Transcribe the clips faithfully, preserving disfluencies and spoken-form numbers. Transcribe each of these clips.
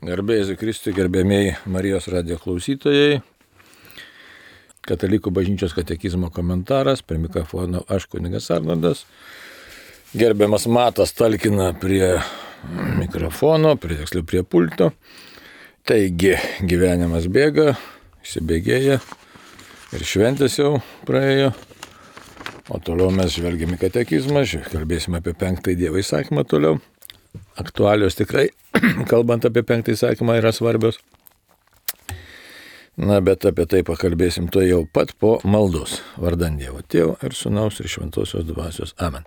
Garbė Jėzui Kristui, gerbėmiai Marijos radijo klausytojai. Katalikų bažnyčios katekizmo komentaras, prie mikrofono aš kunigas Arnoldas. Gerbiamas Matas talkina prie mikrofono, prie tiksliau prie pulto. Taigi, gyvenimas bėga, įsibėgėja ir šventės jau praėjo. O toliau mes žvelgiame į katekizmą, kalbėsime apie penktąjį Dievo įsakymą toliau. Aktualios tikrai, kalbant apie penktąjį įsakymą, yra svarbios. Na, bet apie tai pakalbėsim to jau pat po maldos. Vardan Dievo Tėvo ir Sūnaus ir Šventosios Dvasios. Amen.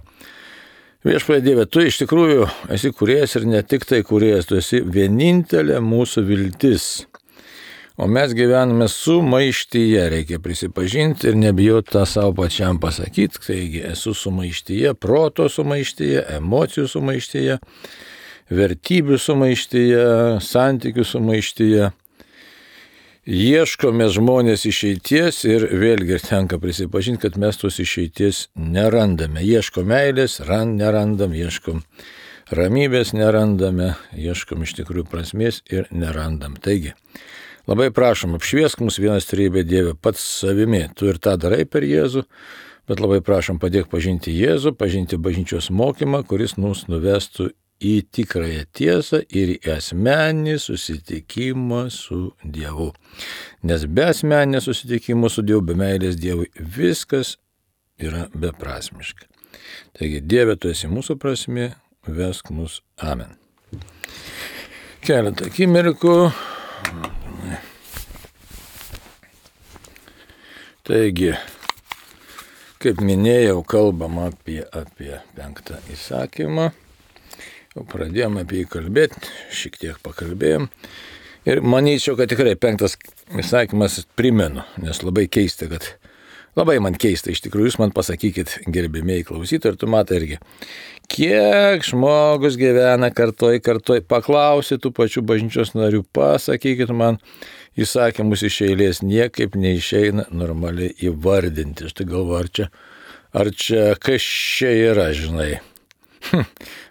Viešpatie Dieve, tu iš tikrųjų esi kūrėjas ir ne tik tai kūrėjas, tu esi vienintelė mūsų viltis. O mes gyvename sumaištyje, reikia prisipažinti ir nebijoti tą savo pačiam pasakyti. Taigi esu sumaištyje, proto sumaištyje, emocijų sumaištyje, vertybių sumaištyje, santykių sumaištyje. Ieškome žmonės išeities ir vėlgi tenka prisipažinti, kad mes tos išeities nerandame. Ieškom meilės, rand, nerandam, ieškom ramybės, nerandame, ieškom iš tikrųjų prasmės ir nerandam. Taigi, labai prašom, apšviesk mus vienas trejybė Dieve pats savimi. Tu ir tą darai per Jėzų, bet labai prašom padėk pažinti Jėzų, pažinti bažnyčios mokymą, kuris mus nuvestų į tikrąją tiesą ir į asmeninį susitikimą su Dievu. Nes be asmeninio susitikimo su Dievu, be meilės Dievui, viskas yra beprasmiška. Taigi, Dieve, tu esi mūsų prasmė, vesk mus. Amen. Keletą akimirkų. Taigi, kaip minėjau, kalbam apie, apie penktą įsakymą. Jau pradėjom apie jį kalbėti, šiek tiek pakalbėjom. Ir manyčiau, kad tikrai penktas įsakymas primenu, nes labai keista, kad labai man keista, iš tikrųjų, jūs man pasakykit, gerbimieji klausytojai, ir tu matai irgi, kiek žmogus gyvena kartoj, kartoj, paklausi tų pačių bažnyčios narių, pasakykit man įsakymus iš eilės, niekaip neišeina normaliai įvardinti. Aš tai galvoju, ar čia, ar čia kas čia yra, žinai.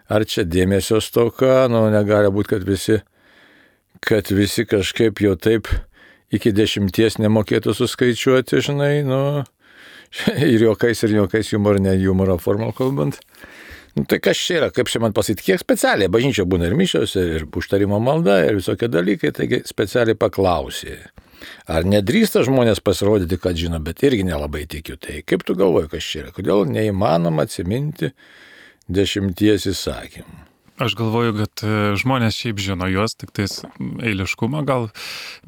Ar čia dėmesio stoka, nu negali būti, kad visi, kad visi kažkaip jau taip iki dešimties nemokėtų suskaičiuoti, žinai, nu, ir juokais, ir juokais, humor, ne humoro formą kalbant. Nu, tai kas čia yra, kaip čia man pasakyti, kiek specialiai, bažnyčia būna ir mišios, ir užtarimo malda, ir visokie dalykai, taigi specialiai paklausė. Ar nedrįsta žmonės pasirodyti, kad žino, bet irgi nelabai tikiu. Tai kaip tu galvoji, kas čia yra, kodėl neįmanoma atsiminti dešimties įsakymų? Aš galvoju, kad žmonės šiaip žino juos, tik tais eiliškumą gal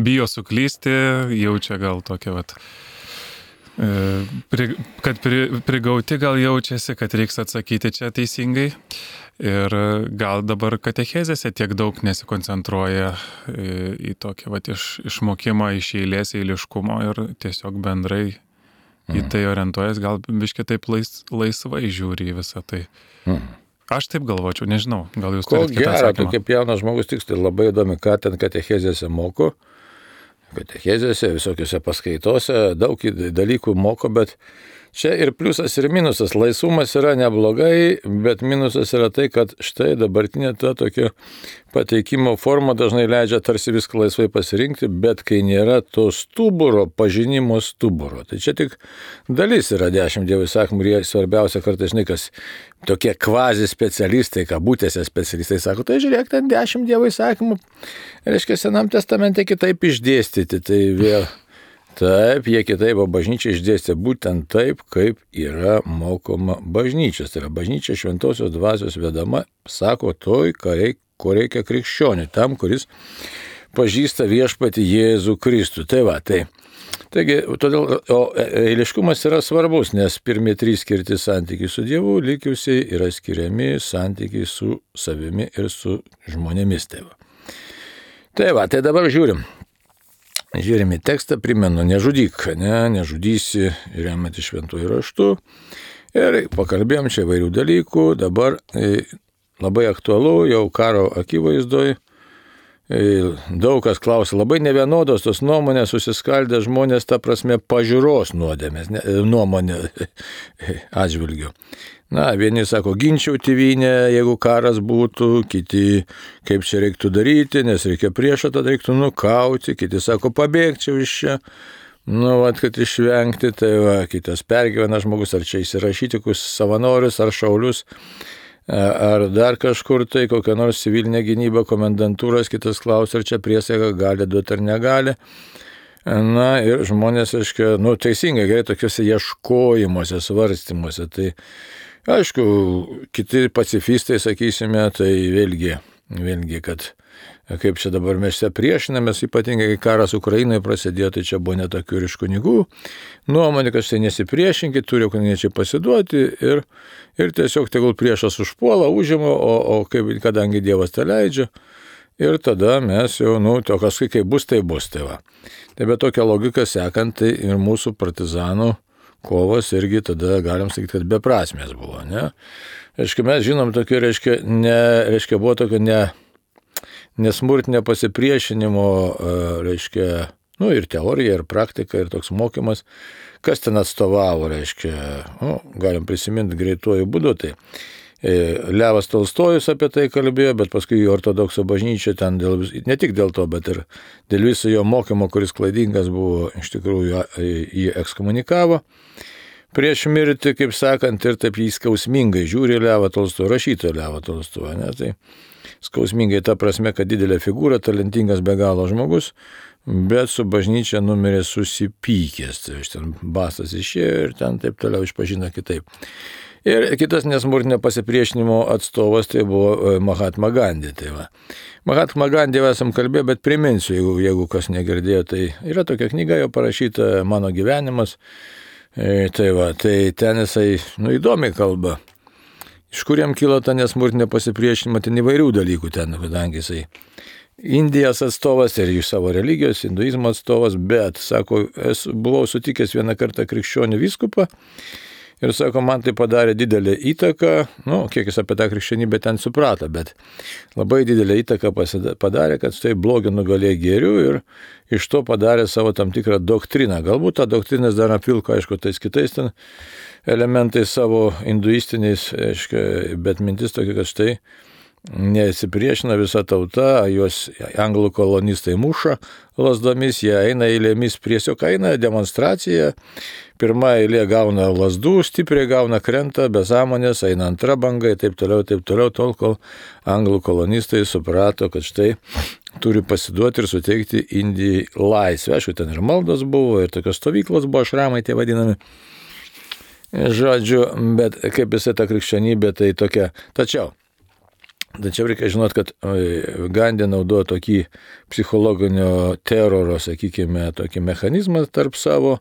bijo suklysti, jaučia gal tokia, vat, pri, kad pri, prigauti gal jaučiasi, kad reiks atsakyti čia teisingai. Ir gal dabar katechezėse tiek daug nesikoncentruoja į, į tokį vat, iš, išmokimą iš eilės eiliškumo ir tiesiog bendrai į tai orientuojas, gal biškai taip lais, laisvai žiūri į visą tai. Mm. Aš taip galvočiau, nežinau, gal jūs turite kitą atsakymą. Tu kaip jaunas žmogus tiksliai labai įdomi, ką ten katechezėse moko. Katechezėse, visokiose paskaitose, daug dalykų moko, bet čia ir pliusas, ir minusas. Laisvumas yra neblogai, bet minusas yra tai, kad štai dabartinė ta tokia pateikimo forma dažnai leidžia tarsi viską laisvai pasirinkti, bet kai nėra to stuburo, pažinimo stuburo. Tai čia tik dalis yra dešimt Dievo įsakymų ir jie svarbiausia kartais, žinai, kas tokie kvazi specialistai, kabutėse specialistai sako, tai žiūrėk, ten dešimt Dievo įsakymų, reiškia, Senam testamente kitaip išdėstyti, tai vėl. Taip, jie kitaip, o bažnyčia išdėstė būtent taip, kaip yra mokoma bažnyčios. Tai yra bažnyčia Šventosios Dvasios vedama, sako toj, reik, ko reikia krikščioniui, tam, kuris pažįsta viešpatį Jėzų Kristų. Tai va, tai. Taigi, todėl, o eiliškumas yra svarbus, nes pirmie trys skirti santykiai su Dievu, likiusiai yra skiriami santykiai su savimi ir su žmonėmis. Tai va, tai, va, tai dabar žiūrim. Žiūrime į tekstą, primenu, nežudyk, ne, nežudysi, remiantis šventuoju raštu. Ir pakalbėjom čia įvairių dalykų, dabar e, labai aktualu, jau karo akivaizdoj. E, daug kas klausia, labai nevienodos tos nuomonės, susiskaldę žmonės, ta prasme, pažiūros nuodėmės, ne, nuomonė atžvilgiu. Na, vieni sako, ginčiau tėvynę, jeigu karas būtų, kiti, kaip čia reiktų daryti, nes reikia priešą, tada reiktų nukauti, kiti sako, pabėgčiau iš čia, nu, vat, kad išvengti, tai va, kitas pergyvena žmogus, ar čia įsirašyti kokius savanorius, ar šaulius, ar dar kažkur tai, kokią nors civilinę gynybą, komendantūros, kitas klausia, ar čia priesaika gali duoti ar negali. Na ir žmonės, aiškiai, nu, teisingai, gerai, tokiuose ieškojimuose, svarstymuose, tai aišku, kiti pacifistai, sakysime, tai vėlgi, vėlgi, kad kaip čia dabar mes čia priešinamės, ypatingai kai karas Ukrainoje prasidėjo, tai čia buvo netokių ir iš kunigų nuomonė, kad štai nesipriešinkit, turi ukrainiečiai pasiduoti ir, ir tiesiog tegul priešas užpuola, užima, o, o kaip, kadangi Dievas tą leidžia, ir tada mes jau, nu, to kažkai kaip bus, tai bus, tai va. Tai be tokia logika sekant, tai ir mūsų partizanų kovos irgi tada galim sakyti, kad beprasmės buvo, ne? Reiškia, mes žinom tokio, reiškia, ne, reiškia, buvo tokio ne, nesmurtinio pasipriešinimo, reiškia, nu, ir teorija, ir praktika, ir toks mokymas, kas ten atstovavo, reiškia, nu, galim prisiminti greituoju būdu, tai Levas Tolstojus apie tai kalbėjo, bet paskui ortodoksų bažnyčia ten dėl, ne tik dėl to, bet ir dėl viso jo mokymo, kuris klaidingas buvo, iš tikrųjų jį ekskomunikavo prieš mirtį, kaip sakant, ir taip jį skausmingai žiūri Levą Tolstojų, rašytoją Levą Tolstojų, ne, tai skausmingai ta prasme, kad didelė figūra, talentingas be galo žmogus, bet su bažnyčia numirė susipykęs, tai iš ten bastas išėjo ir ten taip toliau išpažino kitaip. Ir kitas nesmurtinio pasipriešinimo atstovas tai buvo Mahatma Gandhi. Tai va. Mahatma Gandhi esam kalbėję, bet priminsiu, jeigu, jeigu kas negirdėjo, tai yra tokia knyga jo parašyta Mano gyvenimas. E, tai va, tai ten jisai, nu, įdomiai kalba. Iš kur jam kilo ta nesmurtinio pasipriešinimo, ten įvairių dalykų ten, kadangi jisai Indijos atstovas ir iš savo religijos, hinduizmo atstovas, bet, sako, esu, buvau sutikęs vieną kartą krikščionių vyskupą. Ir sako, man tai padarė didelę įtaką, nu, kiek jis apie tą krikščionybę ten suprato, bet labai didelę įtaką padarė, kad tai blogio nugalėjo gėrių ir iš to padarė savo tam tikrą doktriną. Galbūt tą doktriną dar apvilko, aišku, tais kitais ten elementais savo hinduistiniais, aišku, bet mintis tokia, kad štai nesipriešina visa tauta, juos anglų kolonistai muša lasdomis, jie eina eilėmis, tiesiog eina demonstracija, pirma eilė gauna lasdų, stipriai gauna krenta, be sąmonės, eina antra banga, taip toliau, taip toliau, tol, kol anglų kolonistai suprato, kad štai turi pasiduoti ir suteikti Indijai laisvę. Aišku, ten ir maldos buvo, ir tokios stovyklos buvo, šramai tie vadinami. Žodžiu, bet kaip visai ta krikščionybė, tai tokia. Tačiau, Tačiau reikia žinot, kad Gandhi naudojo tokį psichologinio teroro, sakykime, tokį mechanizmą tarp savo,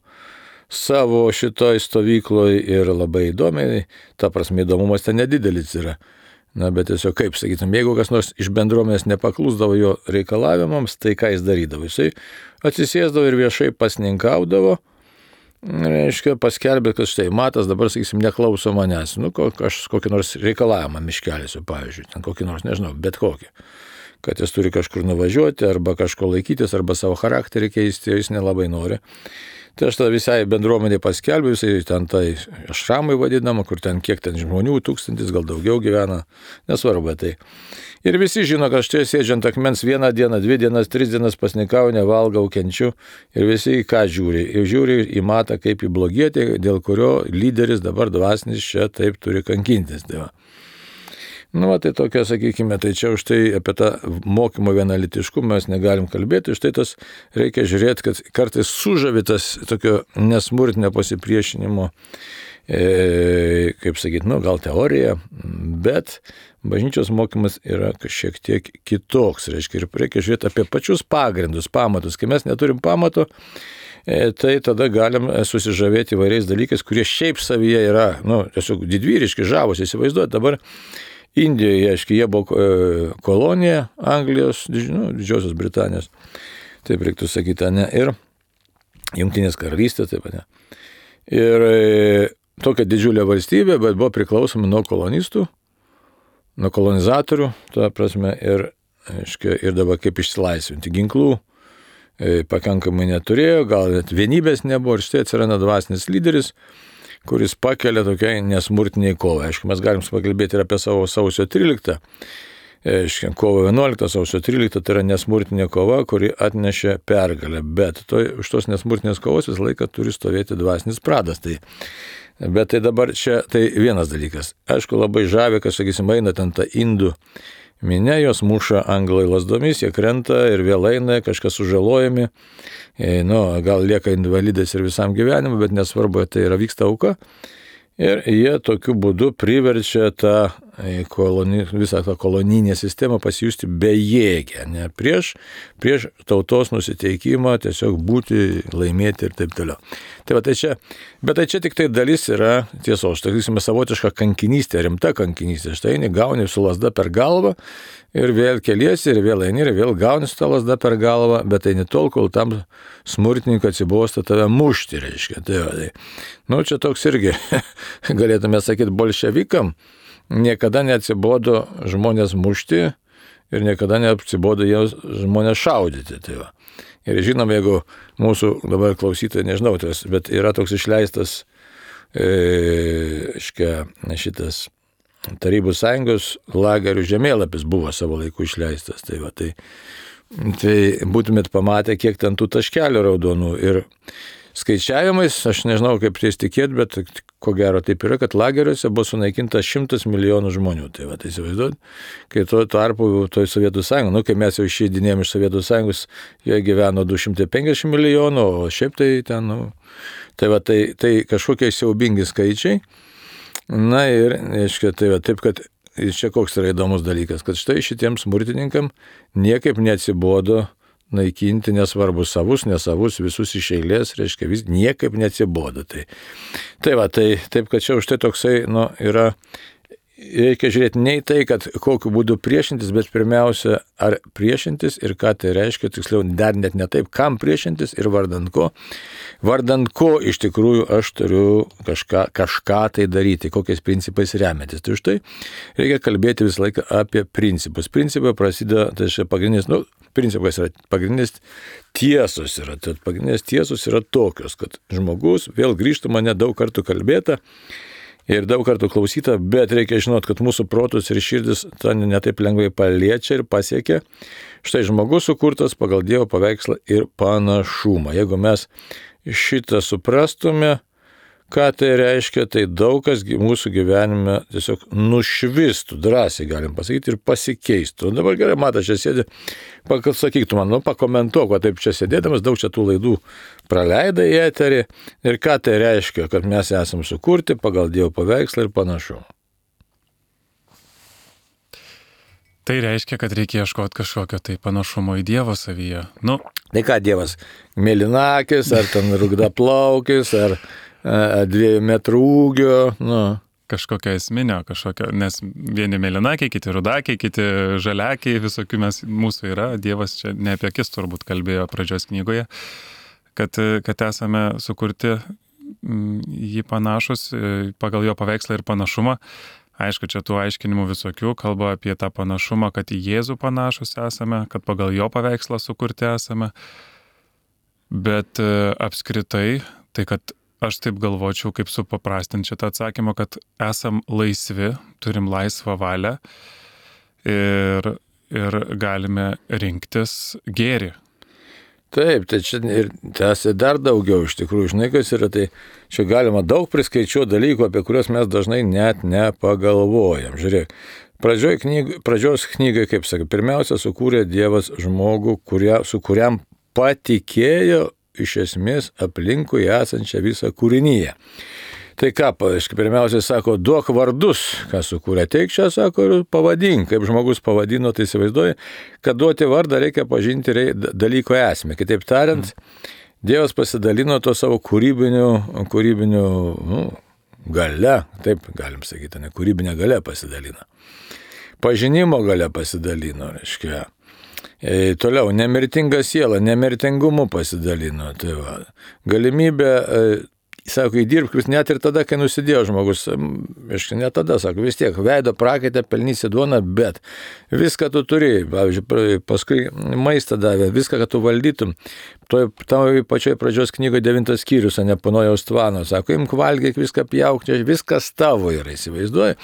savo šitoj stovykloje ir labai įdomiai, ta prasme įdomumas ten nedidelis yra. Na, bet tiesiog kaip, sakytum, jeigu kas nors iš bendruomenės nepaklusdavo jo reikalavimams, tai ką jis darydavo? Jisai atsisėsdavo ir viešai pasninkaudavo, reiškia, paskelbė, kad štai matas dabar, sakysim, neklauso manęs. Nu, aš kokį nors reikalavimą miškelėsiu, pavyzdžiui, ten kokį nors, nežinau, bet kokį. Kad jis turi kažkur nuvažiuoti, arba kažko laikytis, arba savo charakterį keisti, jis nelabai nori. Tai aš tada visai bendruomenė paskelbiu, visai ten tai šramai vadinama, kur ten kiek ten žmonių, tūkstantis, gal daugiau gyvena, nesvarbu tai. Ir visi žino, kad aš čia sėdžiant akmens vieną dieną, dvi dienas, tris dienas pasnikau, nevalgau, kenčiu. Ir visi ką žiūri? Ir žiūri į matą kaip į blogietį, dėl kurio lyderis dabar dvasinis čia taip turi kankintis. Tai va. Nu, va, tai tokia, sakykime, tai čia už tai apie tą mokymo vienalitiškumą mes negalim kalbėti, už tai tas reikia žiūrėti, kad kartais sužavitas tokio nesmurtinio pasipriešinimo, e, kaip sakyti, nu, gal teorija, bet bažnyčios mokymas yra šiek tiek kitoks, reiškia, ir reikia žiūrėti apie pačius pagrindus, pamatus. Kai mes neturim pamato, e, tai tada galim susižavėti įvairiais dalykais, kurie šiaip savyje yra, nu, tiesiog didvyriški, žavus, įsivaizduoti dabar. Indijoje, aiškiai, jie buvo kolonija Anglijos, nu, Didžiosios Britanijos, taip reiktų sakyti, ne, ir Jungtinės karalystės, taip pat ne. Ir e, tokia didžiulė valstybė, bet buvo priklausoma nuo kolonistų, nuo kolonizatorių, tuo prasme, ir, aiškiai, ir dabar kaip išsilaisvinti ginklų, e, pakankamai neturėjo, gal net vienybės nebuvo, ir štai atsiranda dvasinis lyderis, kuris pakelia tokiai nesmurtiniai kovai. Aišku, mes galim pakalbėti ir apie savo sausio tryliktą. Aišku, kovo vienuoliktą, sausio tryliktą tai yra nesmurtinė kova, kuri atnešė pergalę. Bet to, už tos nesmurtinės kovos visą laiką turi stovėti dvasinis pradas. Tai, bet tai dabar čia tai vienas dalykas. Aišku, labai žavė, kad, sakysim, eina ten ta indų minė, jos muša anglai lasdomis, jie krenta ir vėl eina, kažkas sužalojami. E, nu, gal lieka invalidais ir visam gyvenimui, bet nesvarbu, tai yra vyksta auka. Ir jie tokiu būdu priverčia tą koloni, visą tą kolonijinę sistemą pasijusti bejėgę, ne, prieš, prieš tautos nusiteikimą tiesiog būti, laimėti ir taip toliau. Tai va, tai čia, bet tai čia tik tai dalis yra tiesos, sakysime, savotiška kankinystė, rimta kankinystė. Štai eini, gauni su lasda per galvą ir vėl keliesi ir vėl eini ir vėl gauni su tą lasda per galvą, bet eini tol, kol tam smurtininkui atsibosta tave mušti, reiškia. Tai, va, tai, nu, čia toks irgi, galėtume sakyti, bolševikam niekada neatsibodo žmonės mušti ir niekada neatsibodo jiems žmonės šaudyti. Tai va. Ir žinom, jeigu mūsų dabar klausytojai, nežinau, tas, bet yra toks išleistas e, škia, šitas Tarybų sąjungos lagerių žemėlapis buvo savo laiku išleistas. Tai, va, tai, tai būtumėt pamatę, kiek ten tų taškelių raudonų. Ir skaičiavimais, aš nežinau, kaip ties tikėti, bet ko gero taip yra, kad lageriuose buvo sunaikinta šimtas milijonų žmonių. Tai va, tai įsivaizduot, kai tuo tarpu toj Sovietų sąjungo, nu, kai mes jau išeidinėjom iš Sovietų sąjungos, jie gyveno du šimtai penkiasdešimt milijonų, o šiaip tai ten, nu, tai va, tai, tai kažkokie siaubingi skaičiai. Na ir, aiškiai, tai va, taip, kad čia koks yra įdomus dalykas, kad štai šitiems smurtininkam niekaip neatsibodo naikinti nesvarbu savus, nesavus, visus iš eilės, reiškia, vis niekaip neatsibodo. Tai, tai va, tai taip, kad čia už tai toksai, nu, yra, reikia žiūrėti ne į tai, kad kokiu būdu priešintis, bet pirmiausia, ar priešintis ir ką tai reiškia, tiksliau, dar net ne taip, kam priešintis ir vardant ko. Vardant ko iš tikrųjų aš turiu kažką, kažką tai daryti, kokiais principais remiantis. Tai už tai reikia kalbėti visą laiką apie principus. Principai prasideda, tai čia pagrindinis, nu, principas yra pagrindinis tiesos yra. Tai pagrindinės tiesos yra tokios, kad žmogus, vėl grįžtų mane daug kartų kalbėta, ir daug kartų klausyta, bet reikia žinot, kad mūsų protus ir širdis to netaip lengvai paliečia ir pasiekia. Štai žmogus sukurtas pagal Dievo paveikslą ir panašumą. Jeigu mes šitą suprastume, ką tai reiškia, tai daug kas mūsų gyvenime tiesiog nušvistų, drąsiai galim pasakyti, ir pasikeistų. Dabar gerai, matai, čia sėdė, sakyk tu man, nu, pakomentuok, o taip čia sėdėdamas, daug čia tų laidų praleidai į eterį, ir ką tai reiškia, kad mes esam sukurti pagal Dievo paveikslą ir panašumą. Tai reiškia, kad reikia ieškoti kažkokio tai panašumo į Dievo savyje. Nu. Tai ką Dievas, mėlynakis, ar ten rugdaplaukis, ar dviejų metrų ūgio, nu. Kažkokio esminio, kažkokio, nes vieni mėlynakiai, kiti rudakiai, kiti žaliakiai, visokių mes, mūsų yra. Dievas čia ne apie akis turbūt kalbėjo pradžios knygoje, kad, kad esame sukurti jį panašus pagal jo paveikslą ir panašumą. Aišku, čia tų aiškinimų visokių, kalba apie tą panašumą, kad į Jėzų panašus esame, kad pagal jo paveikslą sukurti esame. Bet apskritai, tai kad aš taip galvočiau, kaip supaprastinti šitą atsakymą, kad esam laisvi, turim laisvą valią ir, ir galime rinktis gėrį. Taip, tai čia ir tęsia dar daugiau iš tikrųjų, žinai, kas yra, tai čia galima daug priskaičiuoti dalykų, apie kuriuos mes dažnai net nepagalvojam. Žiūrėk, pradžioj knygai, pradžios knygai, kaip sakai, pirmiausia sukūrė Dievas žmogų, kuria, su kuriam patikėjo iš esmės aplinkui esančią visą kūrinyje. Tai ką, pirmiausiai sako, duok vardus, ką sukūrė, teik čia, sako, ir pavadink, kaip žmogus pavadino, tai įsivaizduoja, kad duoti vardą reikia pažinti dalyko esmę. Kitaip tariant, Dievas pasidalino to savo kūrybiniu, kūrybiniu nu, gale, taip galim sakyti, ne, kūrybinė gale pasidalino. Pažinimo gale pasidalino, reiškia. E, toliau, nemirtinga siela, nemirtingumu pasidalino. Tai va, galimybė e, sako, įdirbk vis net ir tada, kai nusidėjo žmogus, aišku, ne tada, sako, vis tiek, veido prakaitę, pelnysi duoną, bet viską tu turi, pavyzdžiui, paskui maistą davė, viską, kad tu valdytum. Toj tavo pačioj pradžios knygoje devintas skyrius, ne Panojaus tvano, sako, imk valgyk, viską pjauk, viskas tavo yra, įsivaizduoji.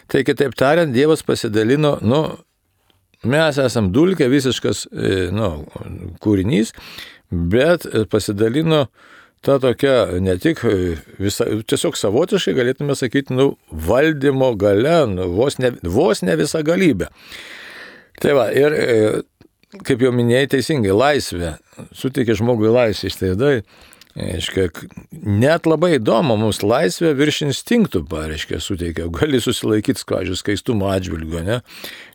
Tai kitaip tariant, Dievas pasidalino, nu, mes esam dulkė, visiškas, nu, kūrinys, bet pasidalino ta tokia ne tik visa, tiesiog savotiškai galėtume sakyti, nu, valdymo gale, nu, vos, ne, vos ne visa galybė. Tai va, ir kaip jau minėjai teisingai, laisvė, suteikia žmogui laisvę, iš tai dai, aiškia, net labai įdomu, mums laisvė virš instinktų, pareiškia, suteikia, gali susilaikyti, pavyzdžiui, skaistumo atžvilgiu, ne?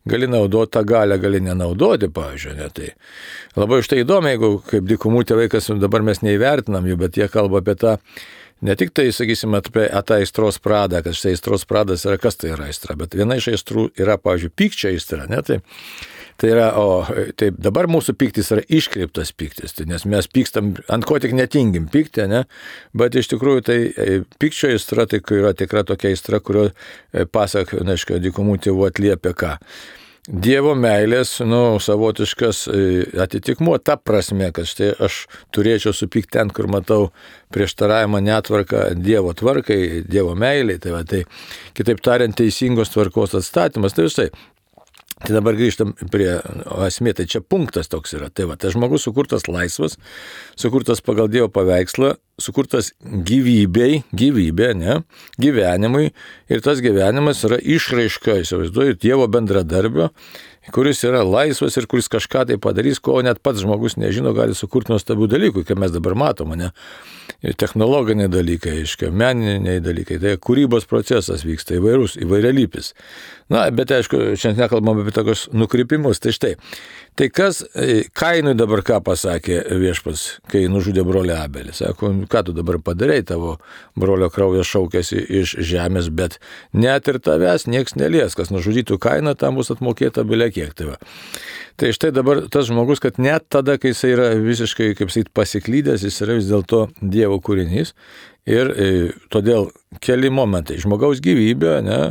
Gali naudoti tą galę, gali nenaudoti, pavyzdžiui, ne? Tai labai už tai įdomu, jeigu kaip dykumų tėvai, kas dabar mes neįvertinam jų, bet jie kalba apie tą, ne tik tai, sakysim, apie tą aistros pradą, kad štai aistros pradas yra, kas tai yra aistra, bet viena iš aistrų yra, pavyzdžiui, pykčio aistra, ne? Tai Tai yra, o taip, dabar mūsų pyktis yra iškreiptas pyktis, tai nes mes pykstam, ant ko tik netingim pykti, ne? Bet iš tikrųjų tai pykčio aistra, tai yra tikra tokia aistra, kurio, pasak, neaišku, dykumų tėvų atliepia ką. Dievo meilės, nu, savotiškas atitikmuo ta prasme, kad štai aš turėčiau supykti ten, kur matau prieštaravimą netvarką Dievo tvarkai, Dievo meiliai, tai va, tai kitaip tariant teisingos tvarkos atstatymas, tai visai. Tai dabar grįžtam prie esmė, tai čia punktas toks yra. Tai va, tai žmogus sukurtas laisvas, sukurtas pagal Dievo paveikslą, sukurtas gyvybei, gyvybė, ne, gyvenimui, ir tas gyvenimas yra išraiška, įsivaizduoju, Dievo bendradarbio, kuris yra laisvas ir kuris kažką tai padarys, ko net pats žmogus nežino, gali sukurti nuostabių dalykų, kaip mes dabar matome, ne? Technologiniai dalykai, aiškiai, meniniai dalykai, tai kūrybos procesas vyksta įvairus, įvairialypis. Na, bet aišku, šiandien nekalbam apie tokius nukrypimus, tai štai. Tai kas Kainui dabar ką pasakė viešpats, kai nužudė brolį Abelį? Sako, ką tu dabar padarai, tavo brolio kraujas šaukėsi iš žemės, bet net ir tavęs nieks nelies, kas nužudytų Kainą, tam bus atmokėta bile kiek. Tai, tai štai dabar tas žmogus, kad net tada, kai jis yra visiškai, kaip sakyt, pasiklydęs, jis yra vis dėlto Dievo kūrinys. Ir e, todėl keli momentai. Žmogaus gyvybė, ne?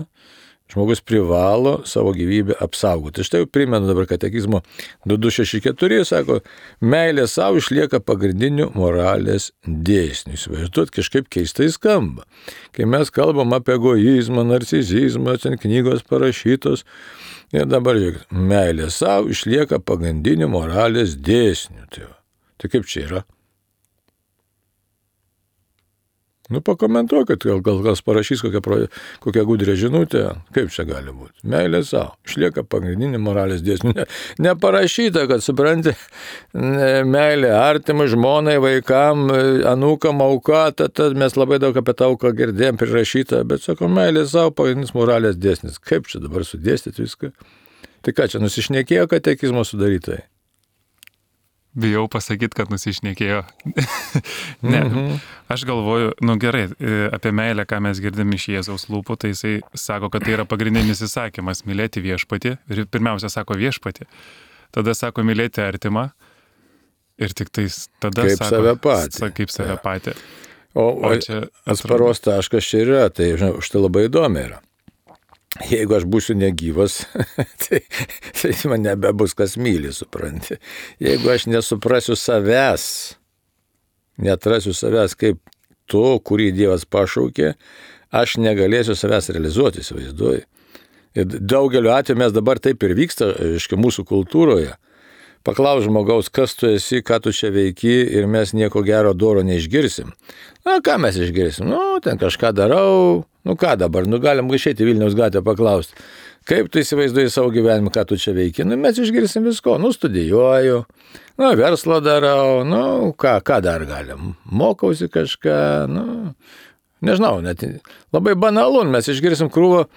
Žmogus privalo savo gyvybę apsaugoti. Štai jau primenu dabar katekizmo du du šeši keturi, sako, meilė savo išlieka pagrindiniu moralės dėsniu. Įsivaizduot, kažkaip keistai skamba. Kai mes kalbam apie egoizmą, narcisizmą, ten knygos parašytos, ir dabar, žiūrėk, meilė savo išlieka pagrindiniu moralės dėsniu. Tai, tai kaip čia yra? Nu, pakomentuokit, gal, gal kas parašys kokią, kokią gudrę žinutę, kaip čia gali būti. Meilė savo, išlieka pagrindinį moralės dėsnių. Ne, neparašyta, kad supranti, meilė artimai, žmonai, vaikam, anūkam, auka, tad, tad mes labai daug apie tą auką girdėjom prirašytą, bet sako, meilė savo, pagrindinis moralės dėsnis. Kaip čia dabar sudėstyti viską? Tai ką čia, nusišnekėjo katekizmo sudarytojai? Bijau pasakyti, kad nusišnekėjo. Ne, mm-hmm. Aš galvoju, nu gerai, apie meilę, ką mes girdim iš Jėzaus lūpų, tai jisai sako, kad tai yra pagrindinis įsakymas, mylėti viešpatį. Ir pirmiausia sako viešpatį, tada sako mylėti artimą ir tik tais tada kaip sako save patį. Kaip save patį. O, o čia atsparos taškas čia yra, tai žinau, už tai labai įdomi yra. Jeigu aš būsiu negyvas, tai, tai man nebebus kas myli, supranti. Jeigu aš nesuprasiu savęs, neatrasiu savęs kaip to, kurį Dievas pašaukė, aš negalėsiu savęs realizuoti, įsivaizduoju. Ir daugeliu atveju mes dabar taip ir vyksta, aiškiai, mūsų kultūroje. Paklaus žmogaus, kas tu esi, ką tu čia veiki, ir mes nieko gero doro neišgirsim. Na, ką mes išgirsim? Nu, ten kažką darau. Nu, ką dabar? Nu, galim išeiti Vilniaus gatvę paklausti. Kaip tu įsivaizduoji savo gyvenimą, ką tu čia veiki? Nu, mes išgirsim visko. Nu, studijuoju. Nu, verslą darau. Nu, ką, ką dar galim? Mokausi kažką. Nu, nežinau, net labai banalu. Mes išgirsim krūvą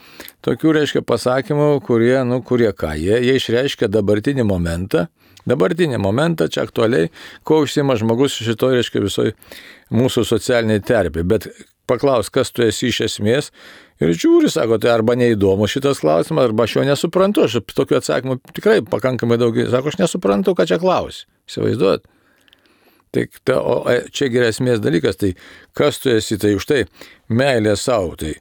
tokių, reiškia, pasakymų, kurie, nu, kurie ką? Jie, jie išreiškia dabartinį momentą. Dabartinį momentą, čia aktualiai, ko užsima žmogus šitoj, reiškia, visoj mūsų socialiniai terpė. Bet paklaus, kas tu esi iš esmės, ir žiūri, sako, tai arba neįdomu šitas klausimas, arba aš jo nesuprantu. Aš tokių atsakymų tikrai pakankamai daug, sako, aš nesuprantu, ką čia klausi. Įsivaizduot. Tai ta, o čia geresmės dalykas, tai kas tu esi, tai už tai meilė savo. Tai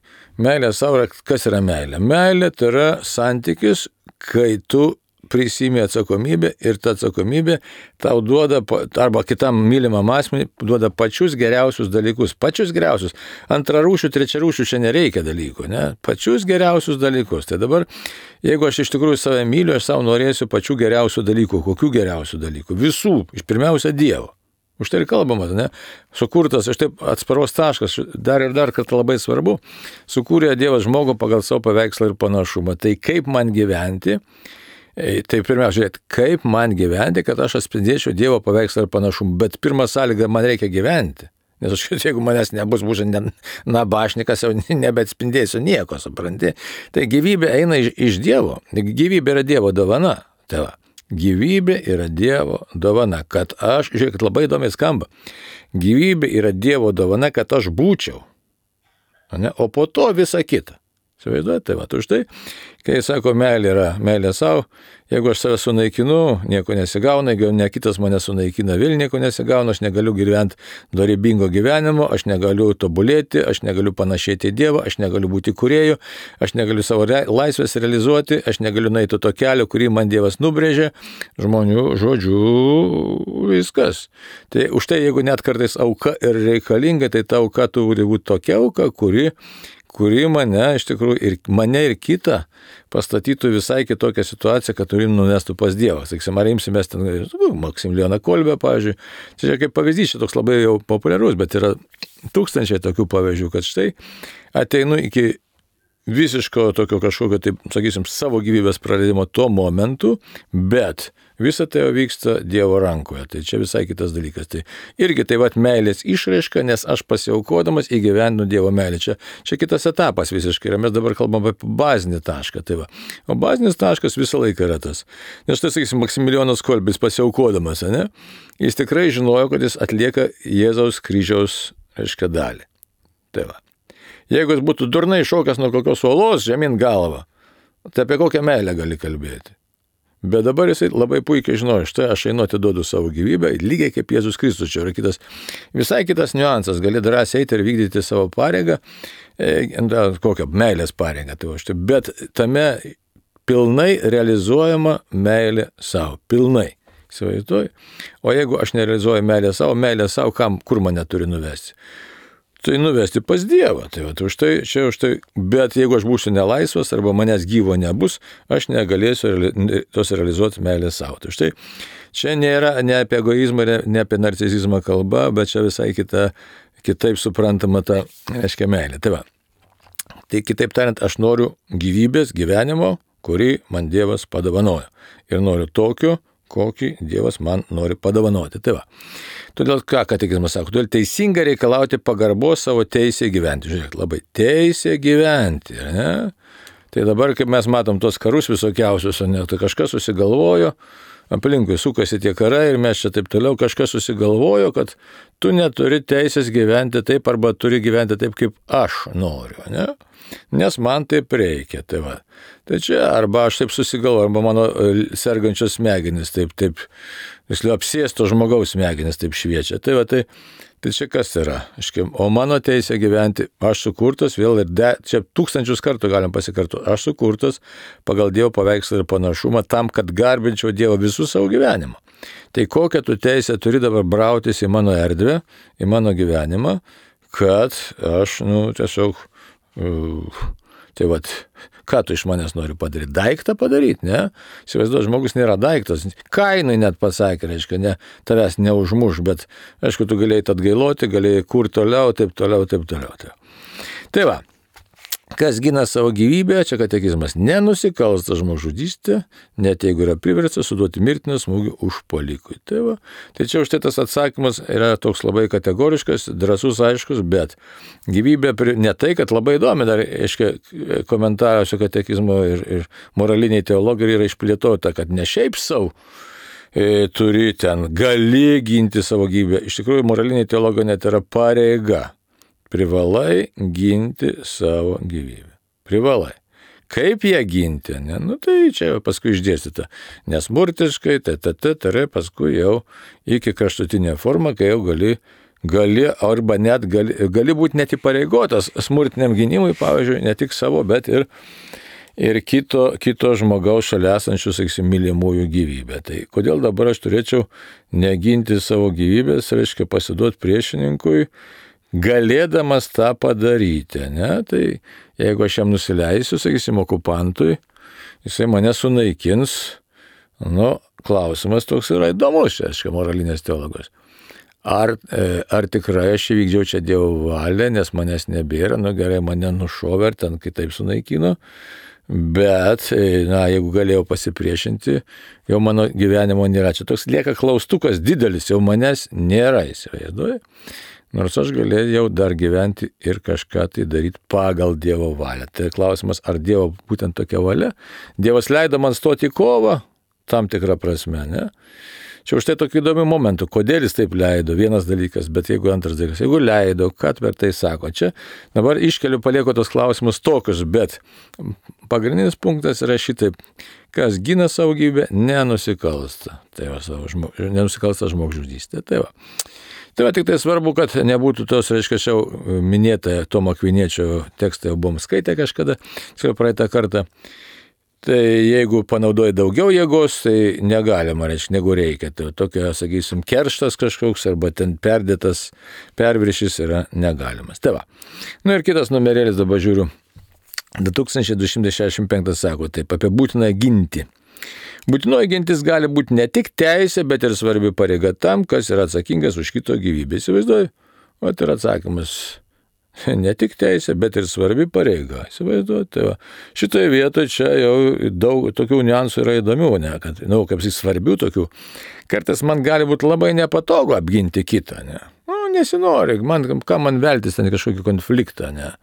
meilė savo, kas yra meilė? Meilė tai yra santykis, kai tu prisimi atsakomybę ir ta atsakomybė tau duoda, arba kitam mylimam asmeniui duoda pačius geriausius dalykus, pačius geriausius. Antrarūšių, trečiarūšių čia nereikia dalykų, ne? Pačius geriausius dalykus. Tai dabar, jeigu aš iš tikrųjų save myliu, aš savo norėsiu pačių geriausių dalykų. Kokių geriausių dalykų? Visų. Iš pirmiausia Dievo. Už tai ir kalbama, ne? Sukurtas, aš taip atsparos taškas, dar ir dar kartą labai svarbu, sukūrė Dievas žmogų pagal savo paveikslą ir panašumą. Tai kaip man gyventi? Tai pirmiausia, žiūrėt, kaip man gyventi, kad aš atspindėčiau Dievo paveikslą ir panašumą. Bet pirmą sąlygą, man reikia gyventi. Nes aš, jeigu manęs nebus būtent nabašnikas, jau nebeatspindėsiu nieko, supranti. Tai gyvybė eina iš, iš Dievo. Gyvybė yra Dievo dovana. Tai va, gyvybė yra Dievo dovana, kad aš, žiūrėkit, labai įdomiai skamba. Gyvybė yra Dievo dovana, kad aš būčiau. Ne? O po to visa kita. Įsivaizduojate, tai va, už tai, kai sako, meilė yra meilė savo, jeigu aš save sunaikinu, nieko nesigauna, jeigu ne kitas mane sunaikina, vėl nieko nesigauna, aš negaliu gyventi dorybingo gyvenimo, aš negaliu tobulėti, aš negaliu panašėti į Dievą, aš negaliu būti kūrėju, aš negaliu savo re- laisvės realizuoti, aš negaliu nueiti to kelio, kurį man Dievas nubrėžė, žmonių žodžių, viskas. Tai už tai, jeigu net kartais auka ir reikalinga, tai ta auka turi būti tokia auka, kuri kuri mane, iš tikrųjų, ir mane ir kitą pastatytų visai kitokią situaciją, kad turim nuvestų pas Dievą. Sakysim, ar imsimės ten, Maksimilijoną Kolbę, pavyzdžiui. Čia kaip pavyzdys, čia toks labai jau populiarus, bet yra tūkstančiai tokių pavyzdžių, kad štai ateinu iki visiško tokio kažkokio, taip, sakysim, savo gyvybės praradimo tuo momentu, bet visa tai vyksta Dievo rankoje. Tai čia visai kitas dalykas. Tai irgi tai vat meilės išraiška, nes aš pasiaukodamas įgyvendinu Dievo meilę. Čia, čia kitas etapas visiškai. Ir mes dabar kalbam apie bazinį tašką. Tai va. O bazinis taškas visą laiką yra tas. Nes tai, sakysim, Maksimilijonas Kolbis pasiaukodamas, ne? Jis tikrai žinojo, kad jis atlieka Jėzaus kryžiaus, reiškia, dalį. Tai va. Jeigu jis būtų durnai šokęs nuo kokios uolos žemyn galvą, tai apie kokią meilę gali kalbėti. Bet dabar jisai labai puikiai žinojo, štai aš einu atiduodu savo gyvybę, lygiai kaip Jėzus Kristus. Čia yra kitas, visai kitas niuansas, gali drąsiai eiti ir vykdyti savo pareigą, e, kokią meilės pareigą. Tai va, štai, bet tame pilnai realizuojama meilė savo, pilnai. Įsivaizduoju. O jeigu aš nerealizuoju meilę savo, meilę savo, kam, kur mane turi nuvesti? Tai nuvesti pas Dievą. Tai va, už tai, čia už tai, bet jeigu aš būsiu nelaisvas arba manęs gyvo nebus, aš negalėsiu tos realizuoti meilę savo. Tai štai, čia nėra ne apie egoizmą, ne apie narcisizmą kalba, bet čia visai kita, kitaip suprantama ta, reiškia, meilė. Tai va, tai kitaip tariant, aš noriu gyvybės, gyvenimo, kurį man Dievas padovanojo. Ir noriu tokio, kokį Dievas man nori padovanoti. Tai va. Todėl ką katekizmas sako, todėl teisinga reikalauti pagarbos savo teisę gyventi. Žiūrėk, labai teisė gyventi. Ne? Tai dabar, kaip mes matom tos karus visokiausius, ne, tai kažkas susigalvojo, aplinkui sukasi tie karai ir mes čia taip toliau, kažkas susigalvojo, kad tu neturi teisės gyventi taip arba turi gyventi taip, kaip aš noriu. Ne? Nes man taip reikia. Tai va. Tai čia arba aš taip susigalvoju, arba mano sergančios smegenys taip, taip, visliau apsėsto žmogaus smegenys taip šviečia. Tai va, tai, tai čia kas yra? O mano teisė gyventi, aš sukurtas, vėl ir de, čia tūkstančius kartų galim pasikartoti, aš sukurtas pagal Dievo paveikslą ir panašumą tam, kad garbinčiau Dievą visų savo gyvenimą. Tai kokią tu teisę turi dabar brautis į mano erdvę, į mano gyvenimą, kad aš, nu, tiesiog Uh, tai vat, ką tu iš manęs nori padaryti? Daiktą padaryti, ne? Įsivaizduoju, žmogus nėra daiktas. Kainai net pasakė, reiškia, ne, tavęs neužmuš, bet, aišku, tu galėjai atgailoti, galėjai kur toliau, taip toliau, taip toliau. Tai, tai va, kas gina savo gyvybę, čia katekizmas, nenusikalsta žmogžudystė, net jeigu yra priverstas suduoti mirtiną smūgį užpuolikui. Tai va, tai čia už tai tas atsakymas yra toks labai kategoriškas, drąsus, aiškus, bet gyvybė, ne tai, kad labai įdomi, dar, aiškiai, komentaruose katekizmo ir, ir moraliniai teologijai yra išplėtota, kad ne šiaip savo e, turi ten, gali ginti savo gyvybę. Iš tikrųjų, moraliniai teologija net yra pareiga. Privalai ginti savo gyvybę. Privalai. Kaip ją ginti, ne? Nu, tai čia paskui išdėstyta. Nesmurtiškai, tai, tai, tai, tai, paskui jau iki kraštutinė forma, kai jau gali, gali arba net gali, gali būti net įpareigotas smurtiniam gynimui, pavyzdžiui, ne tik savo, bet ir, ir kito, kito žmogaus šalia esančių, sakysim, mylimųjų gyvybę. Tai kodėl dabar aš turėčiau neginti savo gyvybės, reiškia pasiduoti priešininkui, galėdamas tą padaryti, ne? Tai jeigu aš jam nusileisiu, sakysim, okupantui, jisai mane sunaikins, nu, klausimas toks yra įdomus, čia, aiškiai, moralinės teologos. Ar, ar tikrai aš įvykdžiau čia Dievo valią, nes manęs nebėra, nu gerai, mane nušovė ir ten kitaip sunaikino, bet, na, jeigu galėjau pasipriešinti, jau mano gyvenimo nėra. Čia toks lieka klaustukas didelis, jau manęs nėra, įsivaizduoji. Nors aš galėjau dar gyventi ir kažką tai daryti pagal Dievo valią. Tai klausimas, ar Dievo būtent tokia valia? Dievas leido man stoti į kovą, tam tikrą prasme, ne? Čia už tai tokių įdomių momentų, kodėl jis taip leido, vienas dalykas, bet jeigu antras dalykas, jeigu leido, ką per tai sako. Čia dabar iškeliu, palieku tos klausimus tokius, bet pagrindinis punktas yra šitaip, kas gina savo gyvybę, nenusikalsta. Tai va, savo žmog, nenusikalsta žmogžudystė. Tai va. Tai va, tik tai svarbu, kad nebūtų tos, reiškia, jau minėta Tomo Akviniečio tekstą jau buvom skaitę kažkada, čia praeitą kartą. Tai jeigu panaudoji daugiau jėgos, tai negalima, reiškia, negu reikia. Tai tokia, sakysim, kerštas kažkoks arba ten perdėtas perviršis yra negalimas. Tai va. Nu ir kitas numerėlis dabar žiūriu. du tūkstančiai du šimtai šešiasdešimt penktas sako taip, apie būtiną ginti. Būtinoji gintis gali būti ne tik teisė, bet ir svarbi pareiga tam, kas yra atsakingas už kito gyvybę. Įsivaizduoju? O tai yra atsakymas. Ne tik teisė, bet ir svarbi pareiga. Įsivaizduoju? Tai va. Šitoje vietoje čia jau daug tokių niuansų yra įdomių, ne? Kad, nu, kaip jis svarbių tokių. Kartais man gali būti labai nepatogu apginti kitą, ne? Nu, nesinori, man, ką man veltis ten kažkokį konfliktą, ne?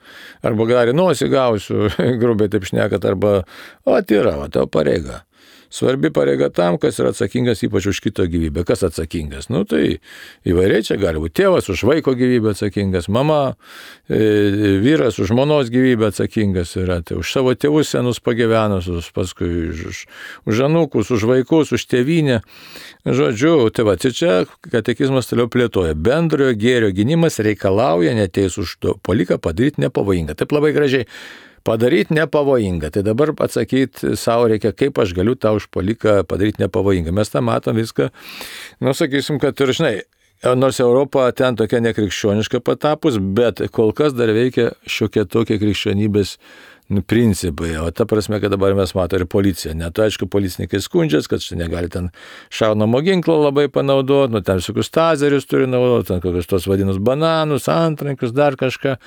Arba gali nosį gausiu, grubiai taip šnekat, arba, o, tai yra, o, tavo pareiga. Svarbi pareiga tam, kas yra atsakingas ypač už kito gyvybę. Kas atsakingas? Nu, tai įvairiai čia gali būti tėvas už vaiko gyvybę atsakingas, mama, e, vyras už žmonos gyvybę atsakingas yra, tai už savo tėvus senus pagyvenusius, paskui už, už anūkus, už vaikus, už tėvynę. Žodžiu, tai va, tai čia katekizmas toliau plėtoja. Bendrojo gėrio gynimas reikalauja neteisų už to poliką padaryti nepavojingą. Taip labai gražiai. Padaryti nepavojingą. Tai dabar atsakyti savo reikia, kaip aš galiu tą užpuoliką padaryti nepavojingą. Mes tą matom viską, nu sakysim, kad ir žinai, nors Europa ten tokia nekrikščioniška patapus, bet kol kas dar veikia šiokie tokie krikščionybės principai. O ta prasme, kad dabar mes matome ir policiją. Net aišku, policininkai skundžiasi, kad štai negali ten šaunamo ginklo labai panaudoti, nu ten visokius tazerius turi naudoti, ten kokius tos vadinus bananus, antrankius, dar kažką.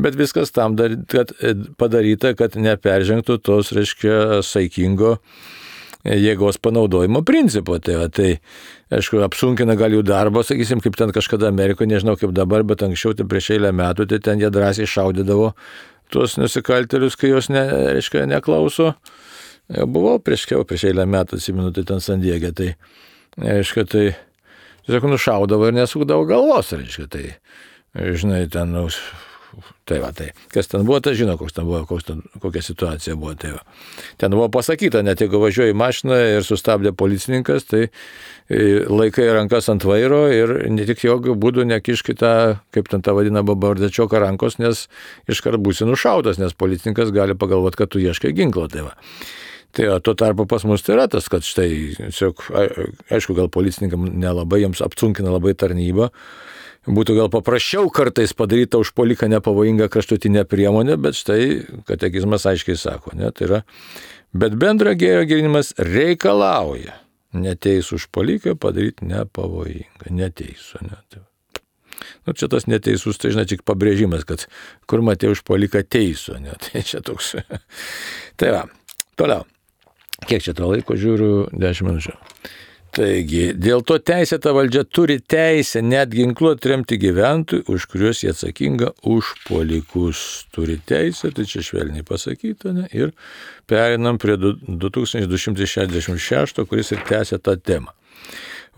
Bet viskas tam dar, kad padaryta, kad neperžengtų tos, reiškia, saikingo jėgos panaudojimo principo. Tai, va, tai aišku, apsunkina gal jų darbą, sakysim, kaip ten kažkada Amerikoje, nežinau kaip dabar, bet anksčiau, tai prieš eilę metų, tai ten jie drąsiai šaudydavo tuos nusikaltėlius, kai jos ne, reiškia, neklauso. Jau buvau prieš, prieš eilę metų, atsimenu, tai ten San Diege, tai, reiškia, tai tiesiog nušaudavo ir nesukdavo galvos, reiškia, tai, žinai, ten, nu, tai va, tai, kas ten buvo, tai žino, koks ten buvo, koks ten, kokia situacija buvo, tai va. Ten buvo pasakyta, net jeigu važiuoji mašiną ir sustabdė policininkas, tai laikai rankas ant vairo ir ne tik jokių būdų nekiškite, kaip ten tą vadina babardečioką rankos, nes iškart būsi nušautas, nes policininkas gali pagalvoti, kad tu ieškai ginklo, tai va. Tai o tuo tarpu pas mus tai yra tas, kad štai, aišku, gal policininkam nelabai, jiems apsunkina labai tarnybą, būtų gal paprasčiau kartais padaryta užpuoliką nepavojingą kraštutinę priemonę, bet štai katekizmas aiškiai sako, ne, tai yra, bet bendro gėrio gynimas reikalauja neteisų užpuoliką padaryti nepavojingą, neteisų, ne. Tai, nu, čia tas neteisus, tai žinai, tik pabrėžimas, kad kur matė užpuoliką teisų, ne, tai čia toks. Tai va, toliau, kiek čia to laiko žiūriu, dešimt minučių. Taigi, dėl to teisėta valdžia turi teisę net ginkluoti remti gyventojų, už kuriuos jie atsakinga užpuolikus. Turi teisę, tai čia švelniai pasakyta, ne? Ir perinam prie du tūkstančiai du šimtai šešiasdešimt šešto, kuris ir tęsia tą temą.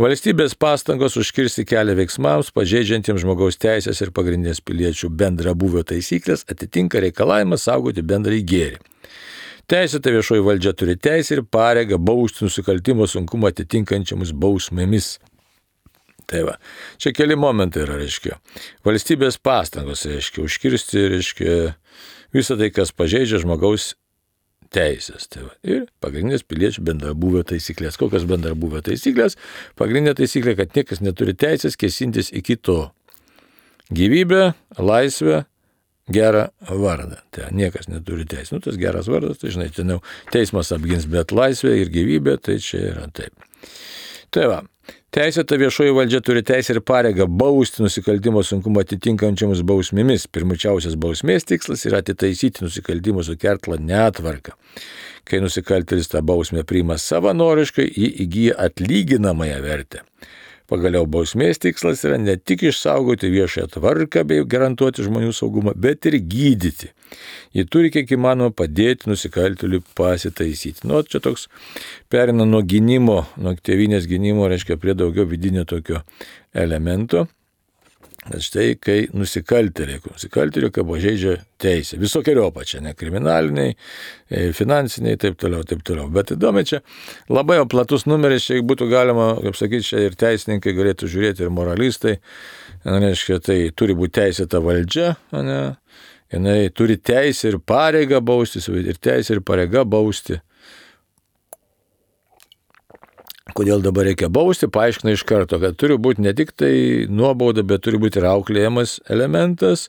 Valstybės pastangos užkirsti kelią veiksmams, pažeidžiantiems žmogaus teisės ir pagrindinės piliečių bendrabūvio taisyklės atitinka reikalavimą saugoti bendrąjį gėrį. Teisėta viešoji valdžia turi teisę ir pareigą bausti nusikaltimo sunkumą atitinkančiamus bausmėmis. Tai va, čia keli momentai yra, reiškia. Valstybės pastangos, reiškia, užkirsti, reiškia, visą tai, kas pažeidžia žmogaus teisės. Tai va. Ir pagrindinės piliečių bendrabūvio taisyklės. Kokios bendrabūvio taisyklės? Pagrindinė taisyklė, kad niekas neturi teisės kėsintis į kito gyvybę, laisvę, gerą vardą. Tai niekas neturi teisės. Nu, tas geras vardas, tai žinai, ten jau teismas apgins, bet laisvė ir gyvybė, tai čia yra taip. Tai va. Teisėta viešoji valdžia turi teisę ir pareigą bausti nusikaltimo sunkumą atitinkančiamus bausmėmis. Pirmučiausias bausmės tikslas yra atitaisyti nusikaltimo sukeltą netvarką. Kai nusikaltėlis tą bausmę priima savanoriškai, jį įgyja atlyginamąją vertę. Pagaliau bausmės tikslas yra ne tik išsaugoti viešąją tvarką bei garantuoti žmonių saugumą, bet ir gydyti. Ji turi kiek įmanoma padėti nusikaltėliui pasitaisyti. Nu, čia toks perina nuo gynimo, nuo tėvynės gynimo, reiškia prie daugiau vidinio tokio elemento. Bet štai, kai nusikaltėliai, nusikaltėliai, kai pažeidžia teisę, visokeriopą čia, ne kriminaliniai, finansiniai, taip toliau, taip toliau. Bet įdomi čia labai jau platus numeris, čia būtų galima, kaip sakyti, čia ir teisininkai galėtų žiūrėti, ir moralistai, reiškia, tai turi būti teisėta valdžia, ne, jinai turi teisę ir pareigą bausti, ir teisę ir pareigą bausti. Kodėl dabar reikia bausti, paaiškina iš karto, kad turi būti ne tik tai nuobauda, bet turi būti ir auklėjimas elementas,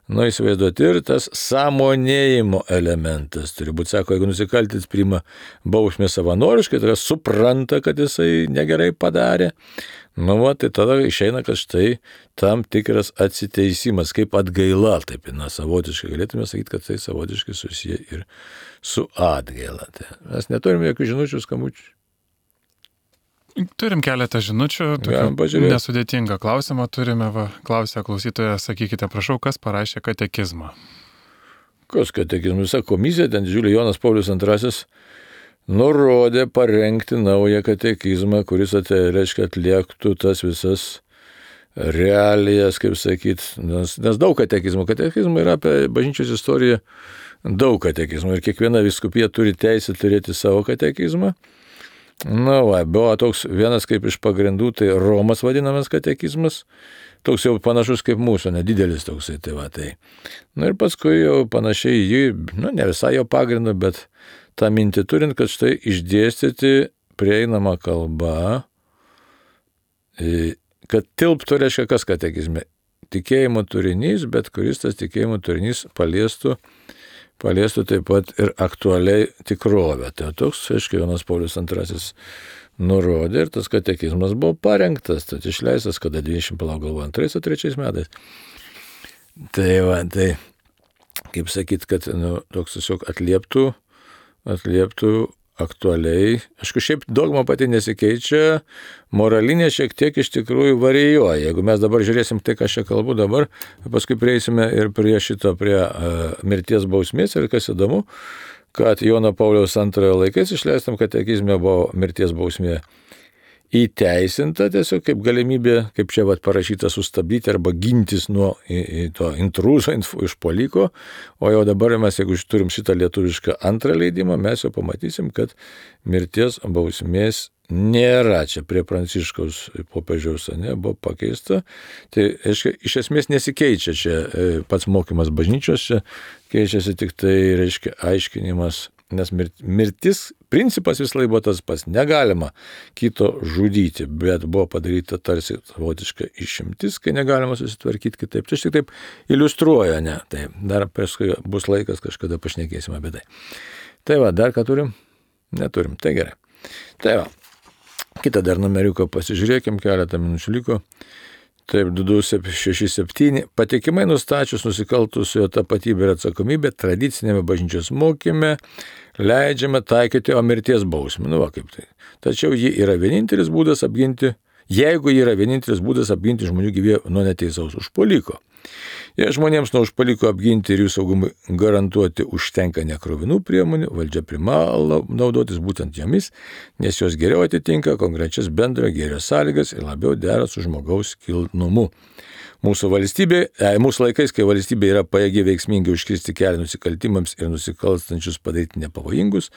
nu įsivaizduoti ir tas sąmonėjimo elementas. Turi būti, sako, jeigu nusikaltėlis priima bausmę savanoriškai, tai supranta, kad jisai negerai padarė, nu va, tai tada išeina, kad štai tam tikras atsiteisimas, kaip atgaila, taip, na, savotiškai galėtume sakyti, kad tai savotiškai susiję ir su atgaila. Tai mes neturime jokių žinučių, skambučių. Turim keletą žinučių, nesudėtingą klausimą turime, va, klausia klausytoja, sakykite, prašau, kas parašė katekizmą? Kas katekizmą? Visa komisija, ten didžiulį Jonas Paulius antrasis nurodė parengti naują katekizmą, kuris, reiškia, atliektų tas visas realijas, kaip sakyt, nes, nes daug katekizmų. Katekizmų yra apie bažnyčios istoriją daug katekizmų ir kiekviena vyskupija turi teisę turėti savo katekizmą. Na, va, buvo toks vienas kaip iš pagrindų, tai Romas vadinamas katekizmas, toks jau panašus kaip mūsų, nedidelis toksai, tai va, tai. Na ir paskui jau panašiai jį, nu, ne visai jo pagrindu, bet tą mintį turint, kad štai išdėstyti prieinamą kalbą, kad tilptų, reiškia, kas katekizme, tikėjimo turinys, bet kuris tas tikėjimo turinys paliestų, paliestų taip pat ir aktualiai tikrovę. Tai toks, aiškiai, Jonas Paulius antrasis nurodė ir tas katekizmas buvo parengtas, tai išleistas, kada dvidešimt, palauk galvo, antrais ar trečiais metais. Tai va, tai, kaip sakyt, kad nu, toks tiesiog atlieptų, atlieptų aktualiai. Aišku, šiaip dogma pati nesikeičia, moralinė šiek tiek iš tikrųjų varijuoja. Jeigu mes dabar žiūrėsim tai, ką aš čia kalbu dabar, paskui prieisime ir prie šito, prie uh, mirties bausmės ir kas įdomu, kad Jono Pauliaus antrojo laikais išleistam katekizme buvo mirties bausmė įteisinta tiesiog kaip galimybė, kaip čia vat parašyta, sustabdyti arba gintis nuo į, į to intruzo, išpuoliko, o jau dabar mes, jeigu turim šitą lietuvišką antrą leidimą, mes jau pamatysim, kad mirties bausmės nėra. Čia prie Pranciškaus popiežiaus, ne, buvo pakeista. Tai aiškia, iš esmės nesikeičia čia pats mokymas bažnyčios, čia keičiasi tik tai, reiškia, aiškinimas. Nes mirtis principas vis laik buvo tas pats, negalima kito žudyti, bet buvo padaryta tarsi savotiška išimtis, kai negalima susitvarkyti kitaip. Tai tik taip iliustruoja, ne, tai dar paskui bus laikas, kažkada pašnekėsim apie tai. Tai va, dar ką turim? Neturim, tai gerai. Tai va, kitą dar numeriuką pasižiūrėkim, keletą minučių liko. Taip, du du šeši septyni. Patikimai nustačius nusikaltusiojo tapatybę ir atsakomybę tradicinėme bažnyčios mokyme leidžiame taikyti o mirties bausmę. Nu va, kaip tai. Tačiau ji yra vienintelis būdas apginti, jeigu ji yra vienintelis būdas apginti žmonių gyvybę nuo neteisaus užpuoliko. Jei žmonėms nuo užpuoliko apginti ir jų saugumui garantuoti užtenka nekrovinų priemonių, valdžia privalo naudotis būtent jomis, nes jos geriau atitinka konkrečias bendrojo gėrio sąlygas ir labiau dera su žmogaus kilnumu. Mūsų, valstybė, e, mūsų laikais, kai valstybė yra pajėgi veiksmingai užkirsti kelią nusikaltimams ir nusikalstančius padaryti nepavojingus,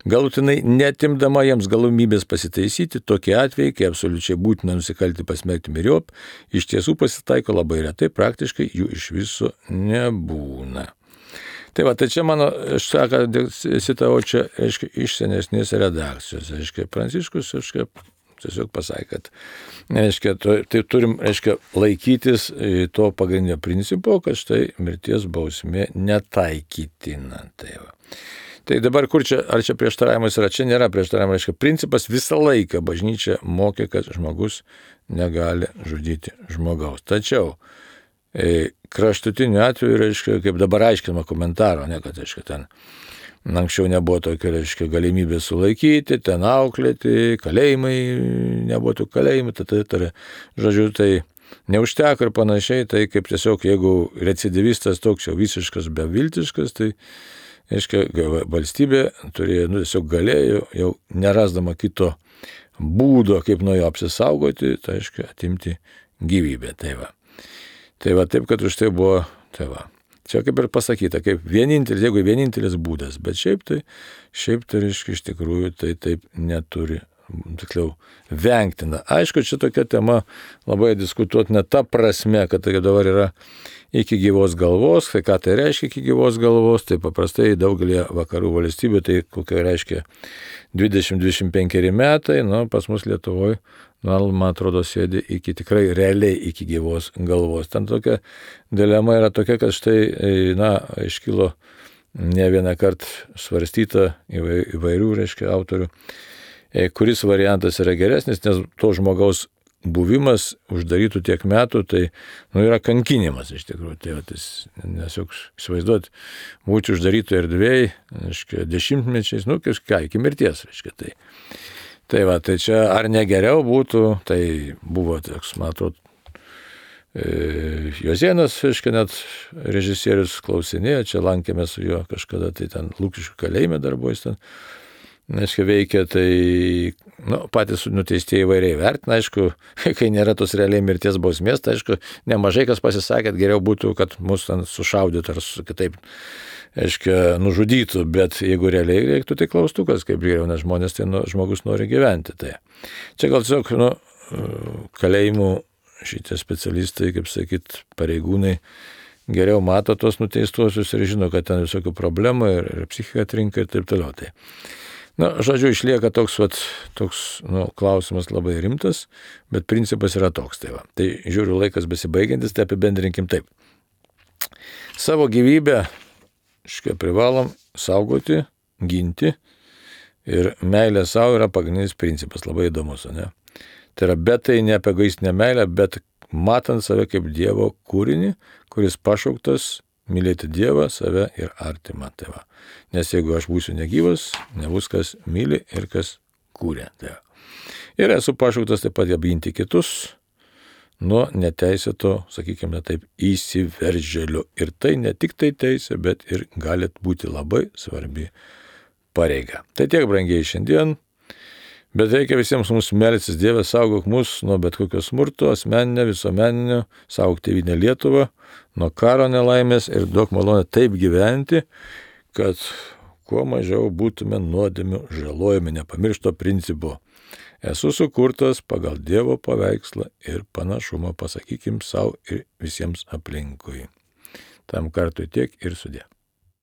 galutinai netimdama jiems galimybės pasitaisyti, tokie atvejai, kai absoliučiai būtina nusikalti pasmerkti myriop, iš tiesų pasitaiko labai retai, praktiškai jų iš viso nebūna. Tai va, tai čia mano, aš saką, citavau čia, aiškiai, iš senesnės redakcijos, aiškiai, Pranciškus, aiškiai, tiesiog pasakė, kad, aiškiai, tai turim, aiškiai, laikytis to pagrindinio principo, kad štai mirties bausmė netaikytina. Tai va. Tai dabar kur čia, ar čia prieštaravimas yra, čia nėra prieštaravimas, aiškiai, principas visą laiką bažnyčia mokė, kad žmogus negali žudyti žmogaus. Tačiau, kraštutiniu atveju, reiškia, kaip dabar aiškinama komentaro, ne, kad, reiškia, ten anksčiau nebuvo tokio, reiškia, galimybė sulaikyti, ten auklėti, kalėjimai, nebuvo tų kalėjimų, tai, tai, tai, žodžiu, tai neužteko ir panašiai, tai kaip tiesiog, jeigu recidivistas toks jau visiškas, beviltiškas, tai, reiškia, valstybė turėjo, nu, tiesiog galėjo, jau nerasdama kito būdo, kaip nuo jo apsisaugoti, tai, reiškia, atimti gyvybę, tai va. Tai va, taip, kad už tai buvo, tai va, čia kaip ir pasakyta, kaip vienintelis, jeigu vienintelis būdas, bet šiaip tai, šiaip tai, reiškia, iš tikrųjų, tai taip neturi, tikliau, vengtina. Aišku, čia tokia tema labai diskutuotina ta prasme, kad tai dabar yra iki gyvos galvos, tai ką tai reiškia iki gyvos galvos, tai paprastai daugelį vakarų valstybių, tai kokia reiškia dvidešimt dvidešimt penki metai, nu, pas mus Lietuvoje, nu, man atrodo, sėdi iki tikrai realiai iki gyvos galvos. Ten tokia dilema yra tokia, kad štai, na, iškilo ne vieną kartą svarstyta įvairių, reiškia, autorių, kuris variantas yra geresnis, nes to žmogaus buvimas uždarytų tiek metų, tai, nu, yra kankinimas iš tikrųjų. Tai, tas, nes juk įsivaizduot, būti uždarytų erdvėj, reiškia, dešimtmečiais, nu, kažką, iki mirties, reiškia, tai. Tai va, tai čia ar negeriau būtų, tai buvo, toks, man atrodo, e, Jozėnas, reiškia, net režisierius klausinėjo, čia lankėmės su juo kažkada, tai ten Lukiškių kalėjime dar buvo jis ten, reiškia, veikia, tai, nu, patys nuteistieji įvairiai vertina, aišku, kai nėra tos realiai mirties bausmės, tai aišku, nemažai kas pasisakė, kad geriau būtų, kad mus ten sušaudytų ar su kitaip, aiškia, nužudytų, bet jeigu realiai reiktų, tai klaustukas, kaip geriau, nes žmonės, tai nu, žmogus nori gyventi. Tai. Čia gal tiesiog, nu, kalėjimų šitie specialistai, kaip sakyt, pareigūnai, geriau mato tos nuteistuosius ir žino, kad ten visokių problemų ir, ir psichika trinka ir taip toliau. Tai. Na, žodžiu, išlieka toks, vat, toks nu, klausimas labai rimtas, bet principas yra toks. Tai, va. Tai žiūriu, laikas besibaigiantis, tai apibendrinkim taip. Savo gyvybę iškai privalom saugoti, ginti ir meilė savo yra pagrindinis principas, labai įdomus, ne? Tai yra, bet tai ne apie egoistinę meilę, bet matant save kaip Dievo kūrinį, kuris pašauktas mylėti Dievą, save ir artimą. Tai va. Nes jeigu aš būsiu negyvas, nebus kas myli ir kas kūrė. Tai va. Ir esu pašauktas taip pat apginti kitus nuo neteisėto, sakykime taip, įsiveržėlių. Ir tai ne tik tai teisė, bet ir gali būti labai svarbi pareiga. Tai tiek, brangiai, šiandien. Bet reikia visiems mūsų melstis, Dieve, saugok mus nuo bet kokio smurto, asmeninio, visuomeninio, saugok tėvynę Lietuvą, nuo karo nelaimės ir duok malonę taip gyventi, kad kuo mažiau būtume nuodėmių žalojami, nepamiršto principo. Esu sukurtas pagal Dievo paveikslą ir panašumą, pasakykim savo ir visiems aplinkui. Tam kartui tiek ir sudė.